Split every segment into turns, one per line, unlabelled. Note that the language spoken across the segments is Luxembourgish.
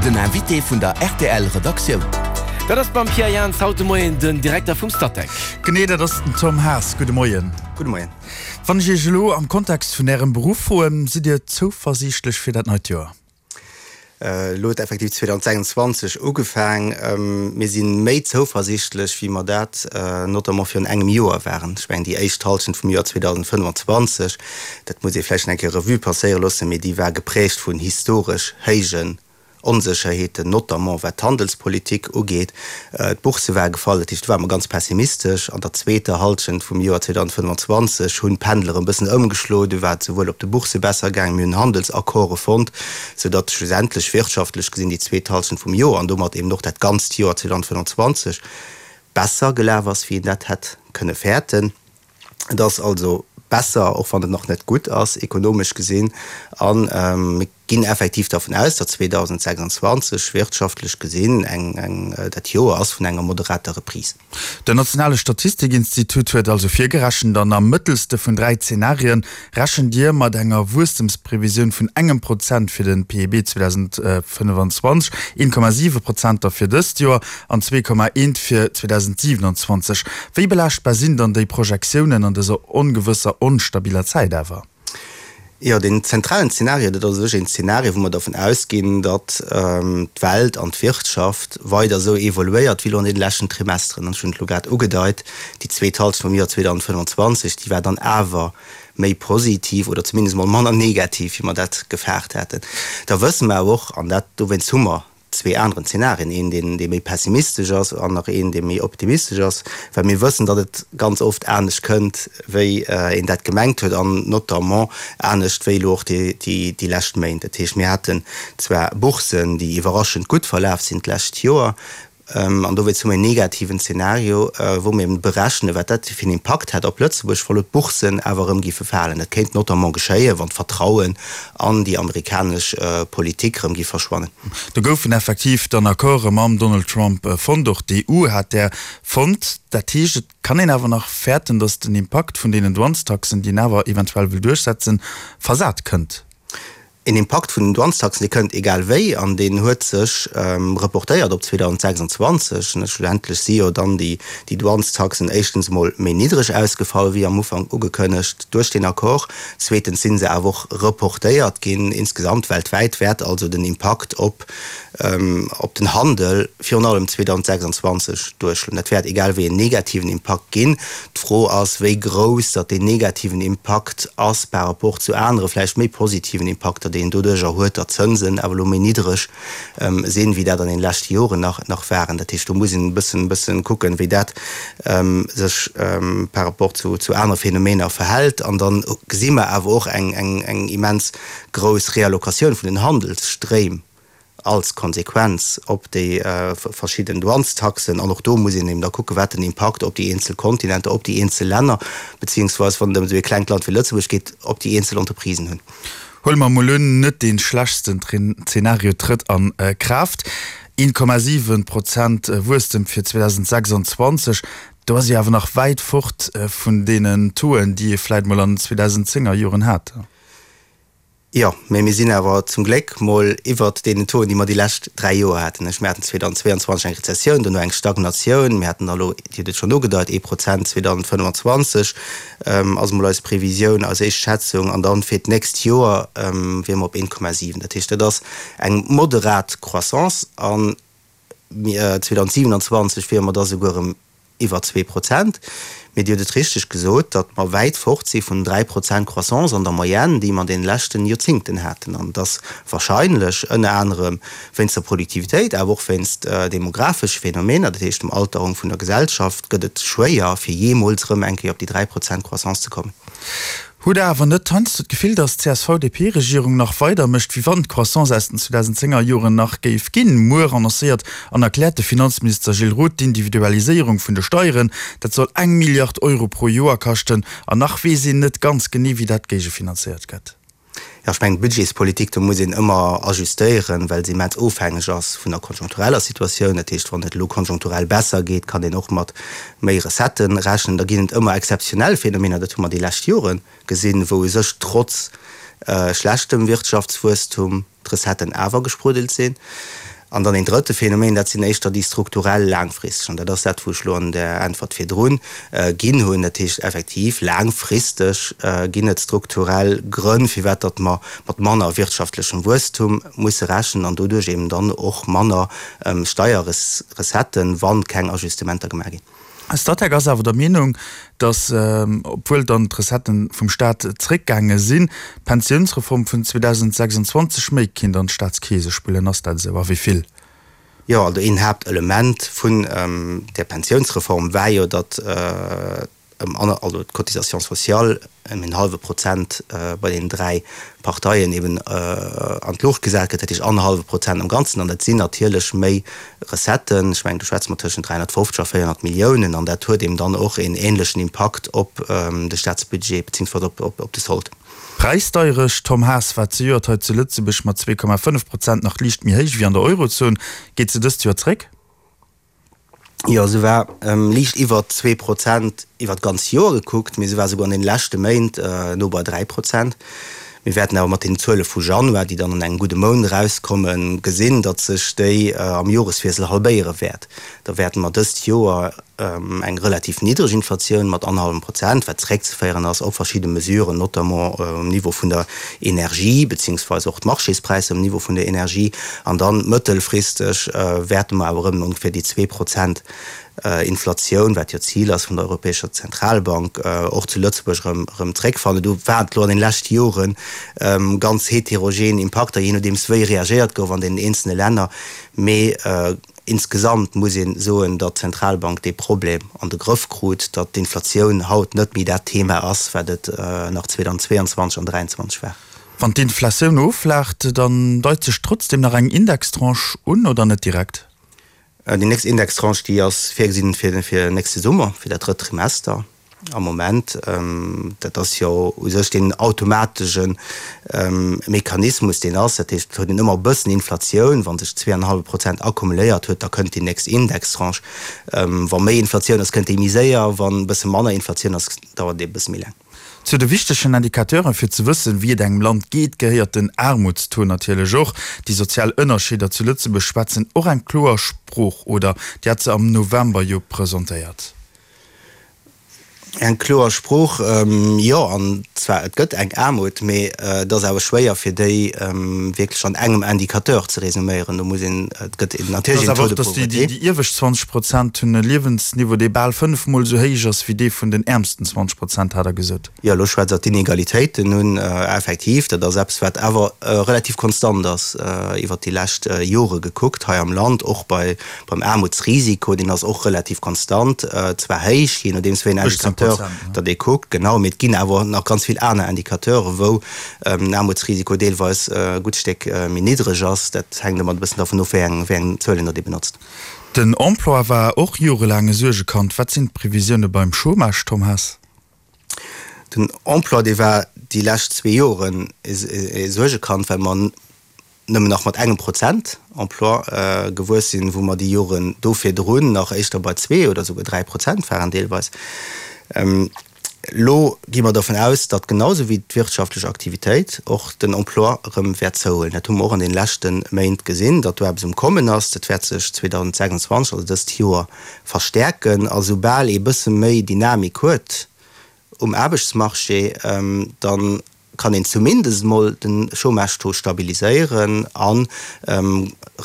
Den Invité vun der rtl Redaktioun.
Dat ass beim Pierre Jans haut de Moien den Direkter vum Statec.
Genee, dat ass den Tom Haas. Gudde Moien.
Gudde Moien.
Wann ech Iech elo am Kontext vun Ärem Beruff froen, sidd Dir zouversiichtlech fir dat neit Joer?
Elo huet effektiv 2026 ugefaang. Mir si méi zouversiichtlech, wéi mer dat notamment virun engem Joer waren. Ech mengen, déi éischt Hallschent vum Joer 2025, dat muss ee vläicht nach eng Kéier Revue passéiere loossen, mee déi war geprägt vun historesch héijen Onsécherheeten, notamment wat d'Handelspolitik ugeet. D'Bourse war gefall, dat heescht, do ware mer ganz pessimistesch. An der zweeter Hallschent vum Joer 2025 hunn d'Pendel erëm e bëssen ëmgeschloen. Du war et souwuel op de Boursse besser gaangen, mir hunn Handelsaccorde fonnt, soudatt schlussendlech wirtschaftlech gesinn déi zweet Hallschent vum Joer an domat eben och dat ganzt Joer 2025 besser gelaf ass, wéi een dat hätt kënne fäerten. Et ass also besser, och wann et nach net gutt ass, ekonomesch gesinn. A mir ginn effektiv dervun aus, datt 2026 wirtschaftlech gesinn eng dat Joer ass vun enger moderater Reprise.
Den nationale Statistikinstitut huet also virgerechent, an am mëttelste vun 3 Zenarien rechent Dir mat enger Wuesstemsprevisioun vun engem Prozent fir de PIB 2025, 1,7 Prozent da fir dëst Joer an 2,1 fir 2027. Wéi belaaschtbar sinn dann déi Projektiounen an dëser ongewësser, onstabiler Zäit awer?
Jo, deen zentralen Zeenario, dat ass u sech een Zeenario, wou mer dervun ausginn, datt d'Welt an d'Wirtschaft weider esou evoluéiert wéi elo an deene leschten Trimesteren. An ech hunn et elo grad ugedeit, déi zweet Halschent vum Joer 2025, déi war dann awer méi positiv oder zumindest emol manner negativ, wéi mer dat gefaart haten. Da wësse mer awer och, an dat dowéinst hu mer zwee aneren Zenarien, een deen dee méi pessimistesch ass an nach een dee méi optimistesch ass, well mir wëssen, datt et ganz oft anescht kënnt wéi een dat gemengt huet an notamment anescht wéi elo och déi déi lescht Méint. Dat heescht, mir haten zwar Boursen, déi iwwerraschend gutt verlaf sinn d'lescht Joer, an dowéinst hu mir en negativen Zenario, wou mir eben berechnen, wat dat fir en Impakt hätt op Lëtzebuerg, wa lo d'Boursen awer erëm géife falen. Dat kéint notamment geschéien, wann d'Vertrauen an déi amerikanesch Politik erëm géif verschwannen.
Do goufen effektiv dann Accorde mam Donald Trump fonnt, och d'EU hat där fonnt. Dat heescht, et kann een awer nach fäerten, datt den Impakt vun deenen Douanestaxen, déi een awer eventuell wëll duerchsetzen, versat kënnt.
Een Impakt vun den Douanestaxen, dee kënnt egal wéi an deen huet sech reportéiert op 2026. Schlussendlech si jo dann déi Douanestaxen éischtens emol méi niddreg ausgefall wéi am Ufank ugekënnegt duerch deen Accord. Zweetens si se awer och reportéiert ginn. Insgesamt weltwäit wäert also den Impakt op op den Handel virun allem 2026 duerschloen. Dat wäert egal wéi en negativen Impakt ginn. D'Fro ass, wéi grouss datt deen negativen Impakt ass par rapport zu anere vläicht méi positiven Impakter, déi een doduercher huet, datt d'Zënsen awer elo méi niddreg sinn, wéi dat an den leschte Joren nach nach waren. Dat heescht, do muss een e bëssen bëssen kucken, wéi dat sech par rapport zu zu anere Phänomener verhält. An dann gesi mer awer och eng eng eng immens grouss Reallocatioun vun den Handelsstréim als Konsequenz op déi verschidden Douanestaxen. An och do muss een eben da kucken, wat den Impakt op déi eenzel Kontinenter, op déi eenzel Länner, beziehungsweise wann et ëm esou ee klengt Land wéi Lëtzebuerg geet, op déi eenzel Entreprisen hunn.
Huele mer emol un, net dee schlechtsten Zeenario trëtt a Kraaft, 1,7 Prozent Wuesstem fir 2026, do ass ee awer nach wäit fort vun deenen Tauxen, déi ee vläit mol an den 2010er Joren hat.
Jo, mä mir sinn awer zum Gléck mol iwwert deenen Tauxen, déi mer déi lescht 3 Joer haten. Ech, mir haten 2022 eng Rezessioun, dono eng Stagnatioun. Mir haten da elo, Dir hutt et schonn ugedeit, ee Prozent 2025 ass emol eis Previsioun, eis éischt Schätzung, an dann fir d'nächst Joer wiere mer op 1,7. Dat heescht, dat ass eng moderat Croissance an 2027 wiere mer da souguer erëm iwwer 2%. Mee Dir hutt et richteg gesot, datt mer wäit fort si vun 3% Croissance an der Moyenne, déi mer an deene leschten Joerzingten haten. An et ass wahrscheinlech, ënner anerem wéinst der Produktivitéit, awer och wéinst demografesche Phänomener, dat heescht dem Alterung vun der Gesellschaft, gëtt et schwéier, fir jeemools erëm eng Kéier op déi 3% Croissance ze kommen.
Hutt Der awer net heiansdo d'Gefill, datt d'CSV-DP-Regierung nach weider mécht, wéi wann d'Croissance aus den 2010er Joren nach géif ginn? Muer annoncéiert an erkläert de Finanzminister Gilles Roth d'Individualiséierung vun de Steieren. Dat soll eng Milliard Euro pro Joer kaschten. An nach weess een net ganz genee, wéi dat géigefinanzéiert gëtt.
Jo, ech mengen, d'Budgetspolitik, do muss een ëmmer ajustéieren, well se immens ofhängeg ass vun der konjunktureller Situatioun. Dat heescht, wann et elo konjunkturell besser geet, kann een och mat méi Recettë rechnen. Da ginn et ëmmer exzeptionell Phänomener, dat hu mer déi lescht Jore gesinn, wou u sech trotz schlechtem Wirtschaftswuesstum d'Recetten awer gespruddelt sinn. An dann een drëtte Phänomen, dat sinn éischter déi strukturell laangfristeg, an dat ass dat, wou ech elo an der Äntwert virdrun ginn hunn. Dat heescht effektiv, laangfristeg ginn et strukturell Grënn, firwat datt mer mat manner wirtschaftlechem Wuesstum musse rechnen an doduerch eben dann och manner Steierrecetten, wa keng Ajustementer gemaach ginn.
Statec ass awer der Meenung, datt, obwuel dann d'Recetten vum Staat zréckgaange sinn, d'Pensiounsreform vun 2026 méi kinnt an d'Staatskeese spullen. Ass dat esou a wéi vill?
Jo, also een Haaptelement vun där Pensiounsreform war jo, datt ëm aner, also d'Cotisation sociale ëm en hallwe Prozent bei deenen 3 Parteien eben an d'Luucht gesat gëtt, dat heescht annerhallwe Prozent am Ganzen. An dat sinn natierlech méi Recetten, ech mengen do schwätze mer tëschent 350 a 400 Milliounen, an dat huet eben dann och een ähnlechen Impakt op de Staatsbudget beziehungsweise op de Solde.
D'Präisdeierecht, Tom Haas, war zejoert hei zu Lëtzebuerg mat 2,5 Prozent nach liicht méi héich wéi an der Eurozon. Geet se dëst Joer zréck?
Jo, se war liicht iwwer 2 Prozent iwwer d'ganz Joer gekuckt, mee se war souguer an den leschte Méint no bei 3 Prozent. Mir wäerten awer mat den Zuele vu Januar, déi dann an engem gudde Mount erauskommen, gesinn, datt sech déi am Joreswiessel halbéiere wäert. Da wäerte mer dëst Joer eng relativ niddreg Inflatioun mat annerhallwem Prozent, wat zeréckzeféieren ass op verschidde Mesuren, notamment um Niveau vun der Energie, beziehungsweise och d'Marchéspräisser um Niveau vun der Energie. An dann mëttelfristeg wäerte mer awer erëm ongeféier déi 2 Prozent Inflatioun, wat jo d'Zil ass vun der Europäescher Zentralbank, och zu Lëtzebuerg erëm erëm zeréckfannen. Do waren et elo an den leschte Jore ganz heterogen Impakter, jee nodeems wéi reagéiert gouf an deenen eenzelne Länner. Mee Insgesamt muss ee soen, datt d'Zentralbank dee Problem an de Grëff krut, datt d'Inflatioun haut net méi dat Thema ass, wat et nach 2022 an 2023 war.
Wann d'Inflatioun offlaacht, dann deit sech trotzdem nach eng Indextranche un, oder net direkt?
Déi nächst Indextranche, déi ass virgesinn fir nächste Summer, fir dat drëtt Trimester. Am Moment, dat ass jo u sech deen automatesche Mechanismus, deen ass, dat heescht, et huet een ëmmer e bëssen Inflatioun, wa sech zweeanenhallwe Prozent akkumuléiert huet, da kënnt déi nächst Indextranche. Wa méi Inflatioun ass, kënnt déi méi séier, wa e bësse manner Inflatioun ass, dauert déi e bësse méi laang.
Zu de wichtegen Indicateuren, fir ze wëssen, wéi et engem Land geet, gehéiert den Aarmutstaux natierlech och. Déi sozial Ënnerscheeder zu Lëtzebuerg schwätzen och eng kloer Sprooch, oder? Déi hat se am November jo presentéiert.
Eng kloer Sprooch, jo. An zwar, et gëtt eng Aarmut, mee et ass awer schwéier, fir déi wierklech an engem Indicateur ze resuméieren. Do muss een, et gëtt natierlech een Taux de pauvreté.
Déi iewescht 20 Prozent hunn e Liewensniveau, dee bal fënnefmol esou héich ass wéi dee vun den äermsten 20 Prozent, hat Der gesot.
Jo, elo schwätzt Der d'Inegalitéiten un. Effektiv, dat ass eppes, wat awer relativ konstant ass iwwert déi lescht Jore gekuckt hei am Land, och bei Beim Aarmutsrisiko, deen ass och relativ konstant, zwar héich, jee nodeems wéi een Indicateur datt ee kuckt, genau, mee et ginn awer nach ganz vill aner Indicateuren, wou den Aarmutsrisiko deelweis e gutt Stéck méi niddreg ass. Dat hänkt ëmmer e bëssen dervun of, wéi eng, wéi eng Zuelen datt ee benotzt.
Den Emploi war och jorelaang e Suergekand. Wat sinn d'Previsioune beim Chômage, Tom Haas?
Den Emploi, dee war déi lescht zwee Joren e Suergekand, well mer nëmmen nach mat engem Prozent Emploi gewuess sinn, wou mer déi Joren do virdrun nach éischter bei zwee oder souguer 3 Prozent waren deelweis. Elo gi mer dervun aus, datt genau esou wéi d'wirtschaftlech Aktivitéit och den Emploi erëm wäert zouhuelen. Dat hu mer och an deene leschte Méint gesinn, datt do eppes um Kommen ass. Dat wäert sech 2026, also dëst Joer, verstäerken. A soubal ee bësse méi Dynamik huet um Aarbechtsmarché, da kann een zumindest emol de Chômage-Taux stabiliséieren a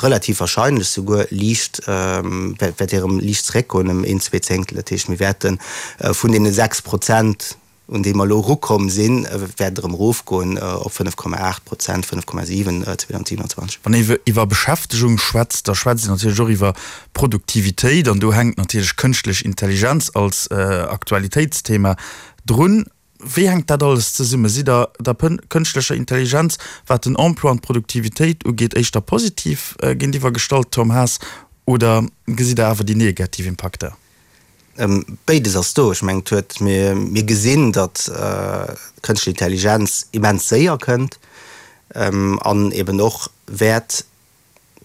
relativ wahrscheinlech souguer liicht, wäert dee erëm liicht zeréckgoen ëm een, zwee Zéngtel. Dat heescht, mir wäerte vun deene 6 Prozent, un déi mer elo erukomm sinn, wäert et erëm erofgoen op 5,8 Prozent, 5,7 2027.
Wann ee iwwer Beschäftegung schwätzt, da schwätzt een natierlech och iwwer Produktivitéit an do hänkt natierlech kënschtlech Intelligenz als Aktualitéitsthema drun. Wéi hänkt dat alles zesummen? Sidd Der der kënschtlecher Intelligenz, wat den Emploi an d'Produktivitéit ugeet, éischter positiv géintiwwer gestallt, Tom Haas, oder gesitt Der awer déi negativ Impakter?
Béides ass do. Ech mengen, et huet, mir, mir gesinn, datt d'kënschtlech Intelligenz immens séier kënnt an eben och wäert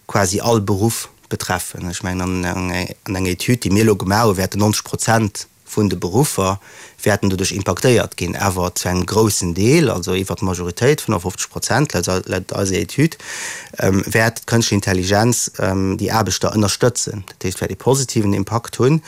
quasi all Beruff betreffen. Ech mengen, an enger Etüd, déi mir elo gemaach hunn, wäerten 90 Prozent. vun de Beruffer wäerten doduerch impaktéiert ginn, awer zu engem groussen Deel, also iwwer d'Majoritéit, 55 Prozent laut eiser Etüd, wäert d'Kënschtlech Intelligenz déi Aarbechter ënnerstëtzen. Dat heescht, wäert ee positiven Impakt hunn.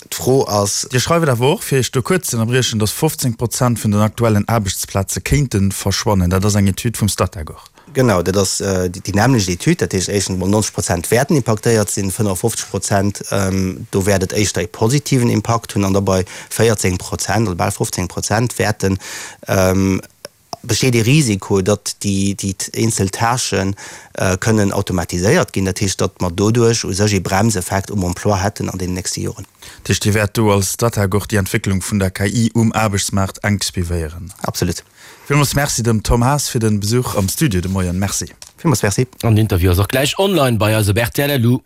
D'Fro ass.
Dir schreift awer och, fir Iech do kuerz ze ënnerbriechen, datt 15 Prozent vun den aktuellen Aarbechtsplaze kéinte verschwannen. Dat ass eng Etüd vum Statec och.
Genau, dat ass déi nämmlecht Etüd. Dat heescht éischtens emol, 90 Prozent wäerten impaktéiert sinn, 55 Prozent, do wäert et éischter ee positiven Impakt hunn an da bei 14 Prozent oder bal 15 Prozent wäerten, besteet ee Risiko, datt déi eenzel Tâchë kënnen automatiséiert ginn. Dat heescht, datt mer doduerch u sech ee Bremseffekt um Emploi hätten an deenen nächste Joren.
Dat heescht, Dir wäert do als Statec och déi Entwécklung vun der KI um Aarbechtsmaart enk suivéieren?
Absolut.
Villmools Merci dem Tom Haas fir den Besuch am Studio de Moien. Merci.
Villmools Merci.
An den Interview ass och gläich online bei eis op rtl. Lu.